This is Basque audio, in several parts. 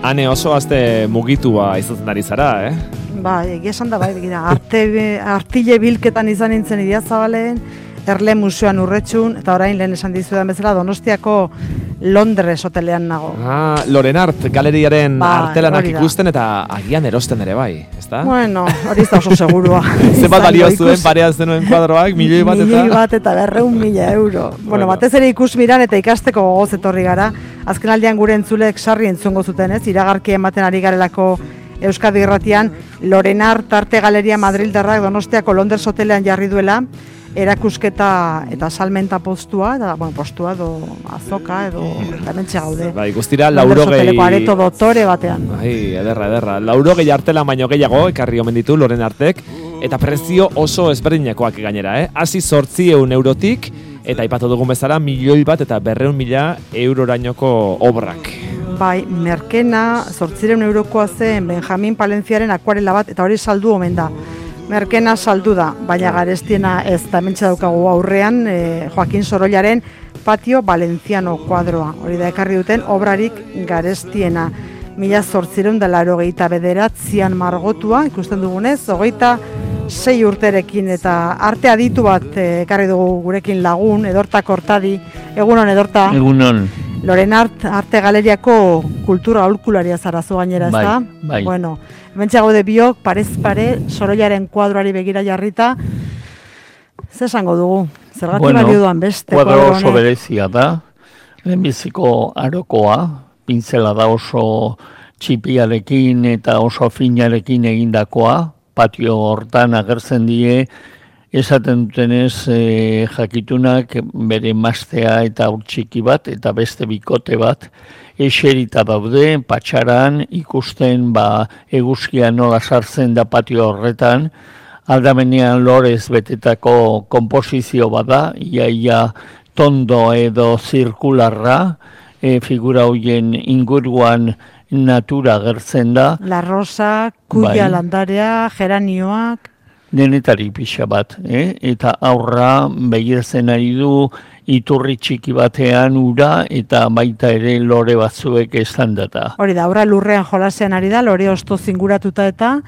Hane oso azte mugitua izaten ari zara, Bai, egia esan da, bai, begira, artile bilketan izan nintzen Idiazabalen, Erle Museoan Urretxun, eta orain lehen esan dizudan bezala Donostiako Londres hotelean nago. Lorenart galeriaren artelanak ikusten eta agian erosten ere bai, ezta? Bueno, hori ez da oso segurua. Zenbat balio zuen parean zenuen kuadroak, milioi bat eta 200.000 euro. Bueno, batez ere ikus miran eta ikasteko gogoz etorri gara. Azkenaldian gure entzulek sarri entzungo zuten, ez? Iragarki ematen ari garelako Euskadi Irratian, Lorenart Arte Galeria Madrildarrak Donostiako Londres hotelean jarri duela, erakusketa eta salmenta postua, eta, postua edo azoka edo hementxe gaude. Bai, guztira 80 areto dotore batean. Bai, ederra. 80 artela baino gehiago ekarri omen ditu Lorenartek, eta prezio oso ezberdinakoak gainera, Hasi 800 eurotik, eta aipatu dugun bezala 1.200.000 eurorainoko obrak. Bai, merkena 800 eurokoa zen Benjamin Palenciaren akuarela bat, eta hori saldu omen da. Merkena saldu da, baina garestiena ez da hementxe daukagu aurrean Joaquin Sorollaren Patio Valenciano kuadroa. Hori da ekarri duten obrarik garestiena. 1889an margotua, ikusten dugunez, 26 urterekin eta arte aditu bat ekarri dugu gurekin lagun, Edorta Kortadi. Egunon, Edorta? Egunon. Lorenart Arte Galeriako kultura aholkularia zarazu gainera, ez da? Bai. Bueno, hementxe gaude biok, parez pare, Sorollaren kuadroari begira jarrita. Zer esango dugu? Zergatik balio duan beste? Kuadro oso berezia da, lehenbiziko arokoa, pintzela da oso txipiarekin eta oso finarekin egindakoa, patio hortan agertzen die, esaten dutenez jakitunak bere mastea eta urtsiki bat eta beste bikote bat eserita daude, patxaran ikusten eguzkia nola sartzen da patio horretan, aldamenean lorez betetako komposizio bada, ia tondo edo zirkularra, figura hoien inguruan natura agertzen da. La rosa, kuia landarea, geranioak. Denetari pixa bat, eta aurra begiratzen ari du iturri txiki batean ura eta baita ere lore batzuek esan data. Hori da, aurra lurrean jolasean ari da, lore osto zinguratuta eta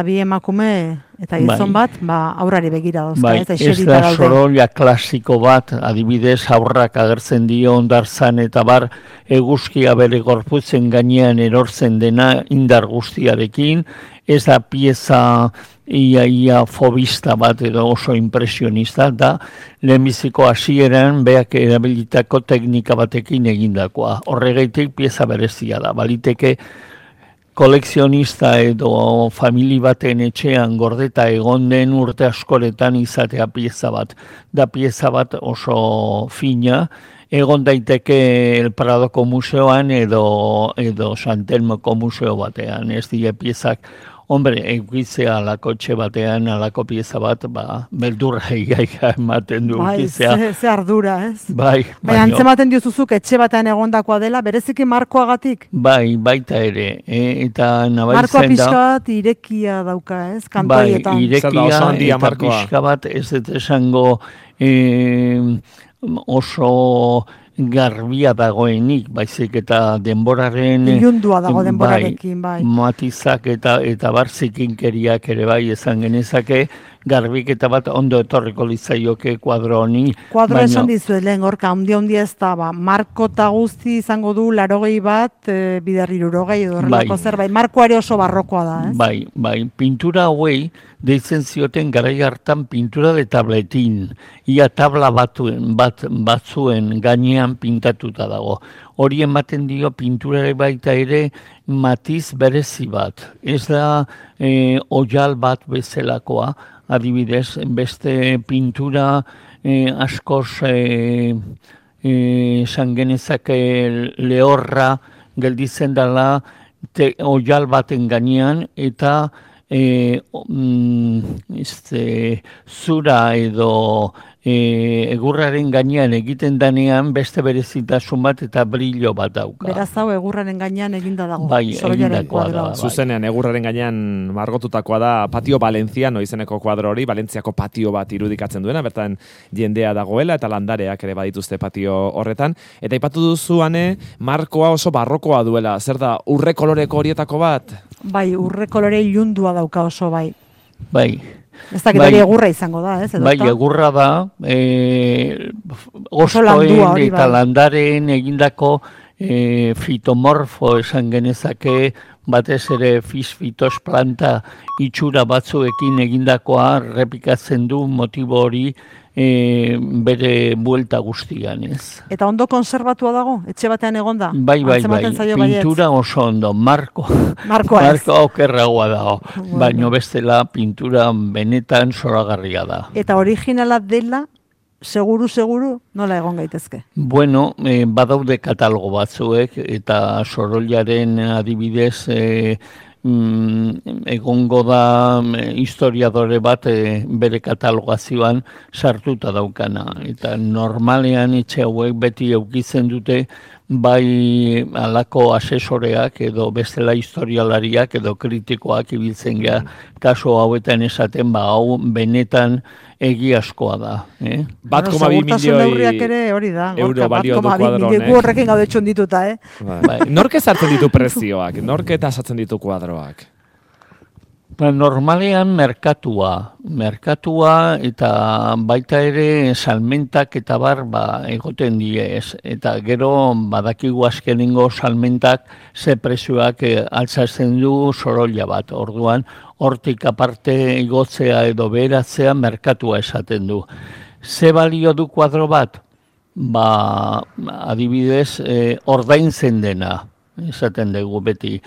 bi emakume eta gizon bat aurrari begira dauzka. Ez da Sorolla klasiko bat, adibidez aurrak agertzen dio hondartzan eta bar eguzkia bere gorputzen gainean erortzen dena indar guztiarekin, ez da pieza ia fobista bat edo oso impresionista da lehenbiziko hasieran beak erabilitako teknika batekin egindakoa. Horregaitik pieza berezia da. Baliteke kolekzionista edo famili baten etxean gordeta egon den urte askoretan izatea pieza bat. Da pieza bat oso fina, egon daiteke El Pradoko museoan edo Santelmoko museo batean. Ez die piezak eukitzea alako txe batean, alako pieza bat, beldurra igaika ematen du eukitzea. Ze ardura, ez? Bai. Antzematen diozuzuk etxe batean egondakoa dela, bereziki markoagatik? Baita ere. Eta nabaitzen da... Markoa pixka bat irekia dauka, ez? Kantoietan. Bai, irekia eta pixka bat ez esango oso garbia dagoenik, baizik eta denboraren... Ilundua dago denborarekin, bai. Matizak eta barzikinkeriak ere bai esan genezake, garbiketa bat ondo etorriko litzaioke kuadro honi. Kuadro esan dizuet lehen gorka, ondia ez da, marko eta guzti izango du 80 bat, bider 60 edo horrelako zerbait. Markoare oso barrokoa da, ez? Bai, pintura hauei deitzen zioten garai hartan pintura de tabletin. Ia tabla batzuen gainean pintatuta dago. Hori ematen dio pinturare baita ere matiz berezi bat. Ez da oial bat bezalakoa, adibidez, beste pintura askoz esan genezake lehorra gelditzen dela oial baten gainean eta zura edo egurraren gainean egiten danean beste berezitasun bat eta brillo bat dauka. Beraz hau egurraren gainean eginda dago. Bai, Sorollaren egindakoa da. kuadroa. Bai. Zuzenean, egurraren gainean margotutakoa da Patio Valenciano izeneko kuadro hori, Valentziako patio bat irudikatzen duena, bertan jendea dagoela eta landareak ere badituzte patio horretan. Eta aipatu duzuane, markoa oso barrokoa duela, zer da, urre koloreko horietako bat? Bai, urre kolore ilundua dauka oso bai. Bai. Ez dakit hori egurra izango da, ez? Bai, egurra da, ostoen eta landaren egindako fitomorfo esan genezake, batez ere fitos planta itxura batzuekin egindakoa repikatzen du motibo hori bere buelta guztian, ez. Eta ondo konserbatua dago? Etxe batean egonda? Bai, pintura oso ondo, markoa okerragoa dago, baino bestela pintura benetan zoragarria da. Eta originala dela, seguru, nola egon gaitezke? Bueno, badaude katalogo batzuek, eta Sorollaren adibidez, egongo da historiadore bat bere katalogazioan sartuta daukana. Eta normalean etxe hauek beti eukitzen dute bai alako asesoreak edo bestela historialariak edo kritikoak ibiltzen gea kaso hauetan esaten hau benetan egiazkoa da. 1,2 milioi hori da, euro balio du kuadro honek. Gu horrekin gaude txundituta, Nork ezartzen ditu prezioak? Nork eta esatzen ditu kuadroak? Normalean merkatua eta baita ere salmentak eta bar egoten diez. Eta gero badakigu azkenengo salmentak ze prezioak altzatzen du Sorolla bat. Orduan, hortik aparte igotzea edo beheratzea merkatua esaten du. Ze balio du kuadro bat? Adibidez, ordaintzen dena. Esaten dugu beti.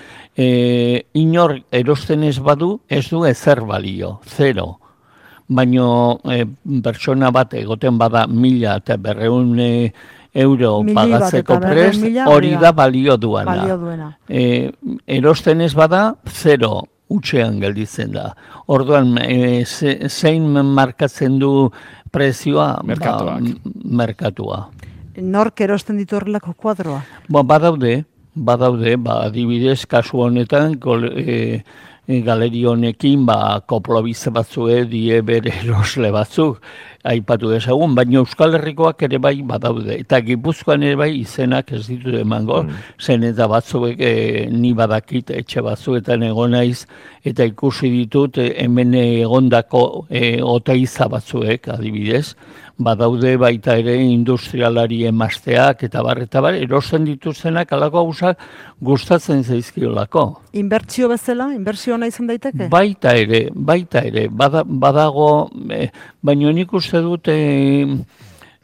Inor erosten ez badu, ez du ezer balio, 0. Baino pertsona bat egoten bada 1.000 eta 200 euro pagatzeko prest, hori da balio duena. Erosten ez bada, 0. Utxean gelditzen da. Orduan, zein markatzen du prezioa? Merkatua. Nork erosten ditu horrelako kuadroa? Badaude, adibidez, kasu honetan, galeri honekin, koplobize batzue, die bere erosle batzuk, aipatu dezagun, baina Euskal Herrikoak ere bai badaude. Eta Gipuzkoan ere bai izenak ez ditu emango, zen eta batzuek ni badakit etxe batzuetan egon naiz, eta ikusi ditut hemen egondako oteiza batzuek, adibidez, badaude baita ere industrialari emazteak eta bar, erosten dituztenak alako gauzak gustatzen zaizkiolako. Inbertsio bezala? Inbertsio ona izan daiteke? Baita ere, badago, baina nik uste dut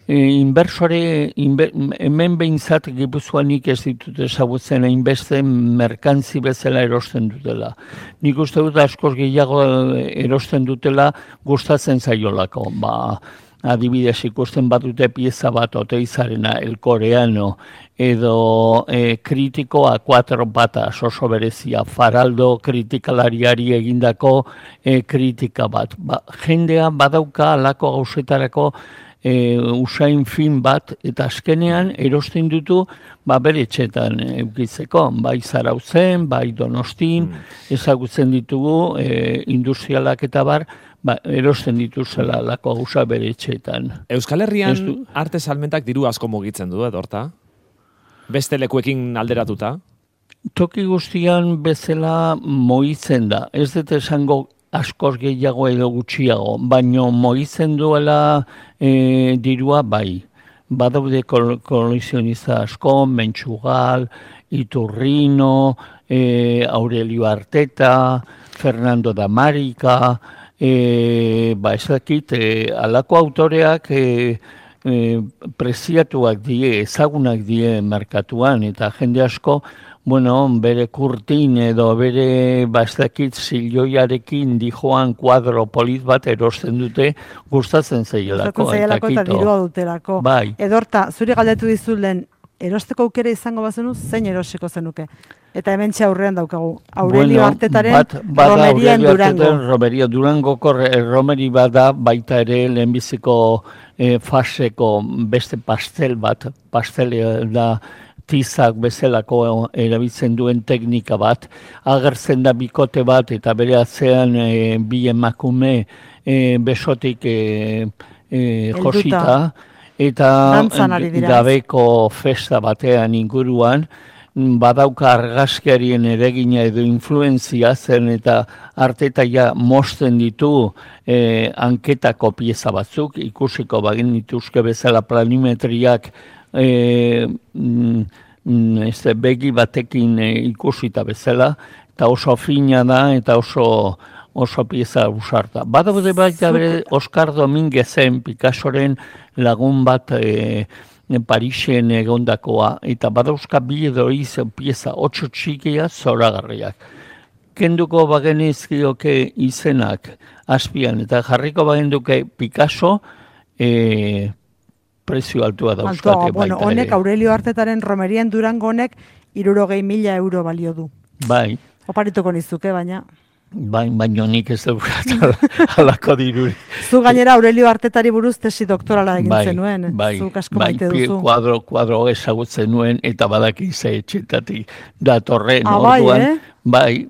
hemen behintzat Gipuzkoanik ez ditut ezagutzen hainbeste merkantzi bezala erosten dutela. Nik uste dut askoz gehiago erosten dutela gustatzen zaiolako. Adibidez ikusten batute pieza bat oteizarena, El Coreano, edo kritikoa 4 patas oso berezia, Faraldo kritikalariari egindako kritika bat. Jendea badauka alako gauzetarako usain fin bat, eta azkenean erosten dutu bere etxetan eukitzeko, bai Zarautzen, bai Donostin, ezagutzen ditugu industrialak eta bar, erosten dituzela lako gauza bere etxeetan. Euskal Herrian arte salmentak diru asko mugitzen du, horta? Beste lekuekin alderatuta? Toki guztian bezala moitzen da. Ez dut esango askoz gehiago edo gutxiago, baino moitzen duela dirua bai. Badaude kolekzionista asko, Mentxugal, Iturrino, Aurelio Arteta, Fernando Damarika, ez dakit, alako autoreak preziatuak die, ezagunak die merkatuan, eta jende asko, bere kurtin edo bere, ez dakit, zilioiarekin dijoan kuadro polit bat erosten dute, gustatzen zailako. Eta dirua dutelako. Bai. Edorta, zuri galdetu dizulen erosteko aukera izango bazenu, zein erosiko zenuke? Eta hementxe aurrean daukagu. Aurelio Artetaren Romerien Durango. Romeria Durangoko romeri bada baita ere lehenbiziko faseko beste pastel bat. Pastel da tizak bezalako erabiltzen duen teknika bat. Agertzen da bikote bat eta bere atzean bi emakume besotik josita. Eta gabeko festa batean inguruan, badauka argazkiarien eregina edo influenzia zen eta Arteta mosten ditu anketako pieza batzuk, ikusiko bagin dituzke bezala planimetriak begi batekin ikusita bezala, eta oso fina da eta oso pieza usarta. Badaude baita bere Oscar Dominguezen Picassoren lagun bat Parisen egondakoa, eta badauzka bi edo pieza 8 txikia zoragarriak. Kenduko bagenizkioke izenak azpian, eta jarriko bagenduke Picasso prezio altua dauzkate baita. Honek Aurelio Artetaren Romerien Durango honek 60.000 euro balio du. Bai. Oparituko nizuke, baina... Baina nik ez dut halako diruri. Zu gainera Aurelio Artetari buruz tesi doktorala egin zenuen. Zuk asko maite duzu. Kuadro ezagutzen nuen eta badaki ze etxetatik datorren orduan. Bai,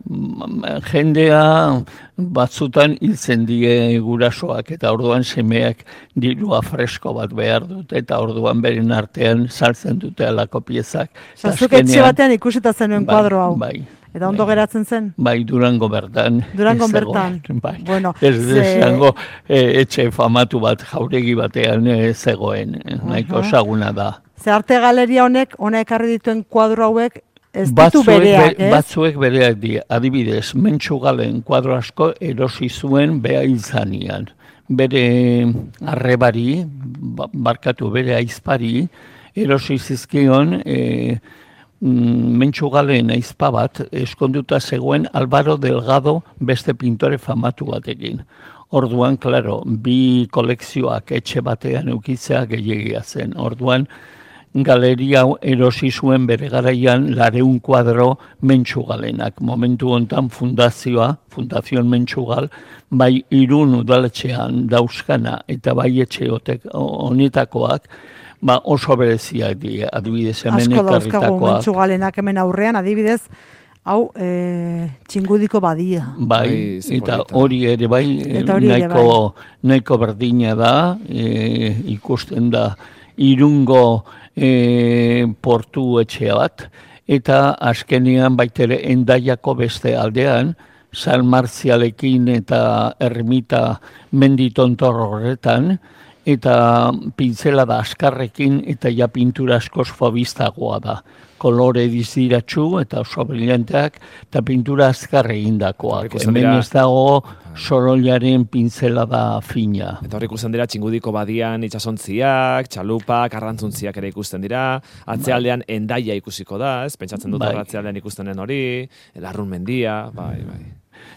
jendea batzutan hiltzen die gurasoak eta orduan semeak dirua fresko bat behar dut eta orduan beren artean saltzen dute halako piezak. Zuk etxe batean ikusita zenuen kuadro hau. Bai. Eta ondo geratzen zen? Bai, Durango bertan. Durango bertan. Bai. Bueno, izango etxe famatu bat jauregi batean zegoen. Nahiko saguna da. Ze arte galeria honek, ona ekarri dituen kuadro hauek, ez ditu bereak, ez? Batzuek bereak di. Adibidez, Mentxu Galen kuadro asko erosi zuen beha izanean. Bere arrebari, barkatu bere aizpari, erosi zizkion... Mentxu Galen aizpa bat eskonduta zegoen Álvaro Delgado beste pintore famatu batekin. Orduan, klaro, bi kolekzioak etxe batean eukitzea gehiagia zen. Orduan, galeria erosi zuen bere garaian 200 kuadro Mentxu Galenak. Momentu hontan Fundazion Mentxu Gal, bai Irun udaletxean dauzkana eta bai etxe honetakoak, oso bereziak dira, adibidez hemen ekarritakoak. Asko dauzkagu Mentxu Galenak hemen aurrean, adibidez, hau txingudiko badia. Bai, eta hori ere bai, nahiko berdina da, ikusten da Irungo portu etxea bat, eta azkenean baitere Endaiako beste aldean, San Marzialekin eta Ermita menditontor horretan, eta pintzela da askarrekin eta ja pintura askoz fobistagoa da. Kolore diziratxu eta oso brillanteak eta pintura azkar egindakoak. Hemen ez dago sorollaren pintzela da fina. Eta hor ikusten dira txingudiko badian itxasontziak, txalupak, arrantzuntziak ere ikusten dira, atzealdean Endaia ikusiko da, ez? Pentsatzen dut atzealdean ikustenen hori, Larrun mendia, bai.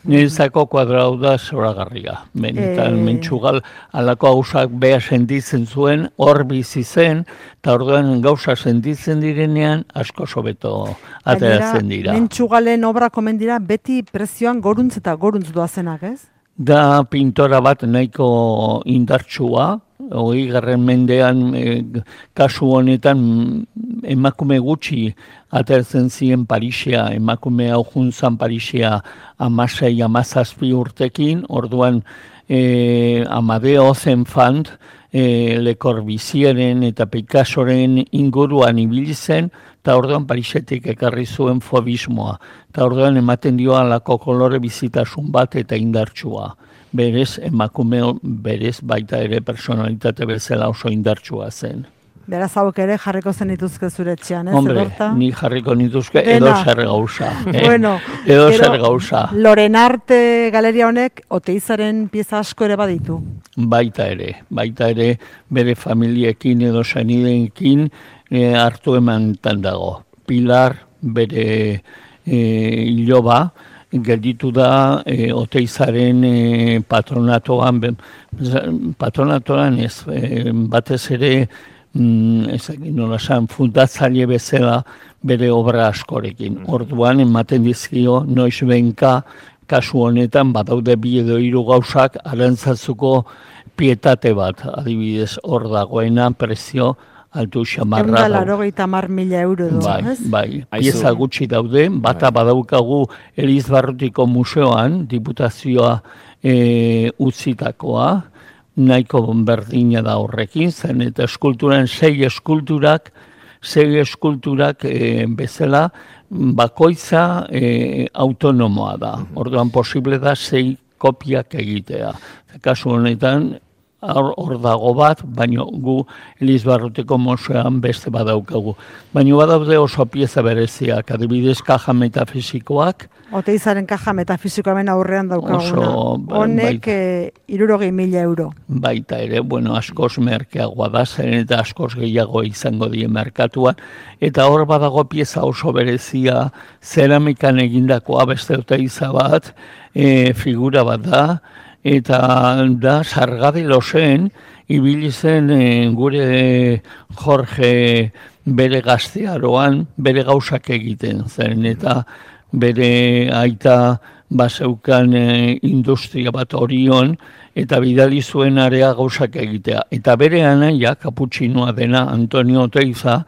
Niretzako kuadrau da zoragarria. Mentxu Gal alako gauzak beha sentitzen zuen, hor bizi zen, eta orduan gauza sentitzen direnean asko sobeto ateratzen dira. Mentxu Galen obra komen dira beti prezioan goruntz eta goruntz doazenak, ez? Da pintora bat nahiko indartsua, 20. mendean kasu honetan emakume gutxi ateratzen ziren Parisea, emakume hau juntzan Parisea 16-17 urtekin, orduan Amadeo Zenfant, Le Corbusieren eta Picassoren inguruan ibili zen, eta orduan Parisetik ekarri zuen fobismoa, eta orduan ematen dio alako kolore bizitasun bat eta indartsua. Berez, emakume berez baita ere personalitate bezala oso indartsua zen. Beraz hauek ere jarriko zen dituzke zure etxean, ez? Hombre, ni jarriko nituzke edo zer gauza. Edo zer gauza. Lorenarte galeria honek Oteizaren pieza asko ere baditu. Baita ere bere familiekin edo senideekin hartu emantan dago. Pilar bere iloba, gelditu da Oteizaren patronatoan ez, batez ere ezagin nola esan, fundatzaile bezala bere obra askorekin. Orduan, ematen dizkio, noiz benka, kasu honetan, badaude 2 edo 3 gauzak, arantzazuko pietate bat, adibidez, hor dagoena, prezio, altu xamarra. 180.000 euro du, ez? Bai, pieza gutxi daude, bata badaukagu Elizbarrutiko museoan, diputazioa utzitakoa, nahiko berdina da horrekin, zen eta eskulturan 6 eskulturak bezala bakoitza autonomoa da. Orduan posible da 6 kopiak egitea. Kasu honetan, hor dago bat, baina gu Elizbarrutiko museoan beste badaukagu. Baina badaude oso pieza bereziak, adibidez kaja metafisikoak. Oteizaren kaja metafisikoa hemen aurrean daukaguna. Honek 60.000 euro. Baita ere, askoz merkeagoa da, zen eta askoz gehiago izango die merkatuan. Eta hor badago pieza oso berezia, zeramikan egindakoa beste Oteiza bat, figura bat da, eta da Sargadi Losen ibili zen gure Jorge bere gaztearoan bere gauzak egiten zen, eta bere aita baseukan industria bat Orion, eta bidali zuen area gauzak egitea. Eta bere anaia, kaputxinoa dena Antonio Oteiza,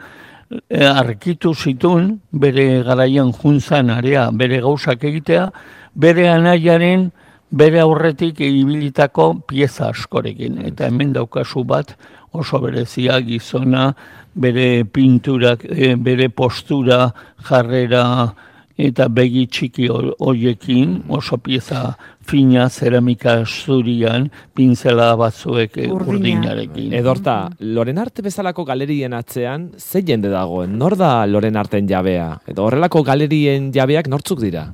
arkitu zituen bere garaian juntzan area bere gauzak egitea, bere anaiaren bere aurretik ibilitako pieza askorekin. Eta hemen daukazu bat oso berezia gizona, bere pinturak, bere postura, jarrera eta begi txiki hoiekin, oso pieza fina, zeramika zurian, pinzela batzuek urdinarekin. Edorta, Lorenarte bezalako galerien atzean, ze jende dagoen? Nor da Lorenarten jabea? Edo horrelako galerien jabeak nortzuk dira?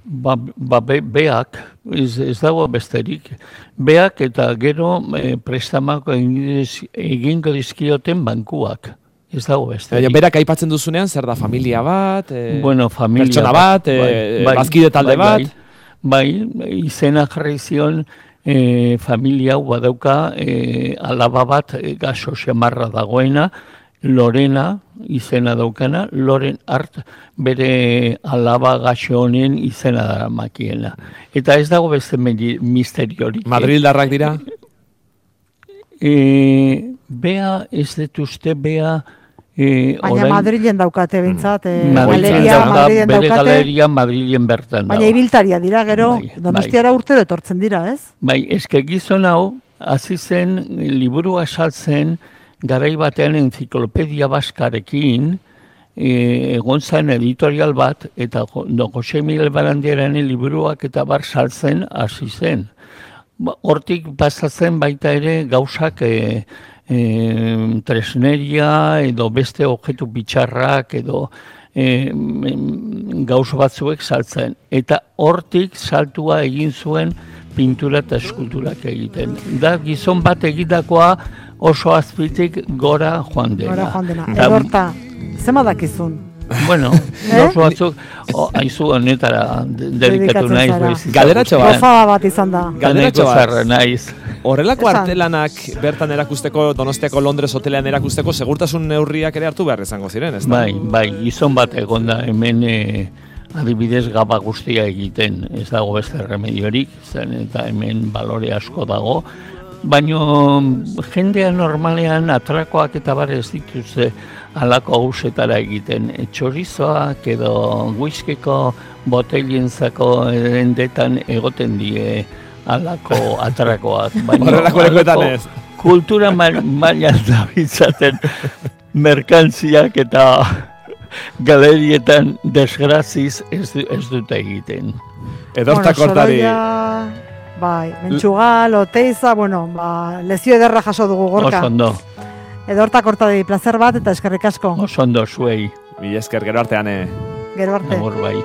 Beak, ez dago besterik, beak eta gero prestamako egingo dizkioten bankuak. Ez dago besterik. Berak aipatzen duzunean, zer da familia bat, pertsona bat, bazkide talde bat? Bai, izena jarri zion familia hau badauka alaba bat gaso xamarra dagoena, Lorena izena daukana, Loren Art bere alaba gaxo honen izena dara makiena. Eta ez dago beste misteriorik. Madrildarrak dira? Bea ez detuzte, Bea... Baina Madrilen daukate bintzat, bere galeria Madrilen bertan dago. Baina ibiltaria dira, gero, Donostiara urtero etortzen dira, ez? Bai, eske gizon hau, hasi zen liburua saltzen, garai batean enziklopedia baskarekin, egon zen editorial bat, eta Jose Miguel Barandiaren liburuak eta bar saltzen hasi zen. Hortik pasatzen baita ere gauzak tresneria edo beste objektu bitxarrak edo gauz batzuek saltzen. Eta hortik saltua egin zuen pintura eta eskulturak egiten. Da gizon bat egitakoa oso azpitik gora joan dena. Gora joan dena. Edorta, zema dakizun? Bueno, oso batzuk, haizu honetara dedikatu naiz. Galderatxo bat. Gozada bat izan da. Galderatxo bat. Naiz. Horrelako artelanak bertan erakusteko, Donostiako Londres hotelean erakusteko, segurtasun neurriak ere hartu behar izango ziren, ez da? Bai, gizon bat egon da, hemen adibidez gaba guztia egiten, ez dago beste remediorik, zen eta hemen balore asko dago, baina jendea normalean atrakoak eta bar ez dituzte halako hausetara egiten. Txorizoak edo whiskiko botelienzako dendetan egoten die halako atrakoak. Horrelako lekuetan ez. Kultura mailan da bitzaten merkantziak eta galerietan desgraziz ez dute egiten. Edorta kortari. Bai, Mentxugal, Oteiza, lezio ederra jaso dugu Gorka. Oso ondo. Edorta kortari placer bat eta eskerrik asko. Oso ondo zuei. Mila esker, gero artean. Gero arte. Agur bai.